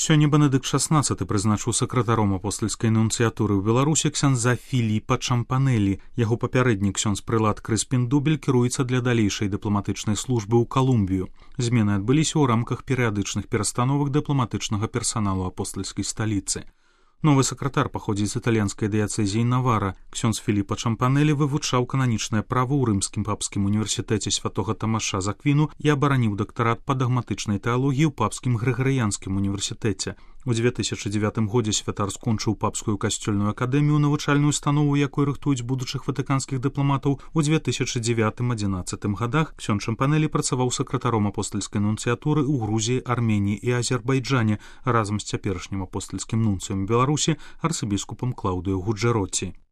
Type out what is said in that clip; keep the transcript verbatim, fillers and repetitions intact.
Сёння Бенедыкт шаснаццаты прызначыў сакратаром апостальскай нунцыятуры ў Беларусі ксяндза Філіпа Чампанелі. Яго папярэдні ксёндз прылад Крыспін Дубель кіруецца для далейшай дыпламатычнай службы ў Калумбію. Змены адбыліся ў рамках перыядычных перастановак дыпламатычнага персаналу апостальскай сталіцы. Новы сакратар паходзіць з італьянскай дыяцэзіі Навара. Ксёндз Філіпа Чампанелі вывучаў кананічнае права ў рымскім папскім універсітэце святога Тамаша з Аквіну і абараніў дактарат па дагматычнай тэалогіі ў папскім грыгарыянскім універсітэце. У дзве тысячы дзевятым годзе святар скончыў папскую касцёльную акадэмію, навучальную установу, якой рыхтуюць будучых ватыканскіх дыпламатаў. У дзве тысячы дзевятым-адзінаццатым гадах ксёндз Чампанелі працаваў сакратаром апостальскай нунцыятуры ў Грузіі, Арменіі і Азербайджане разам з цяперашнім апостальскім нунцыем Беларусі арцыбіскупам Клаўдыё Гуджэроці.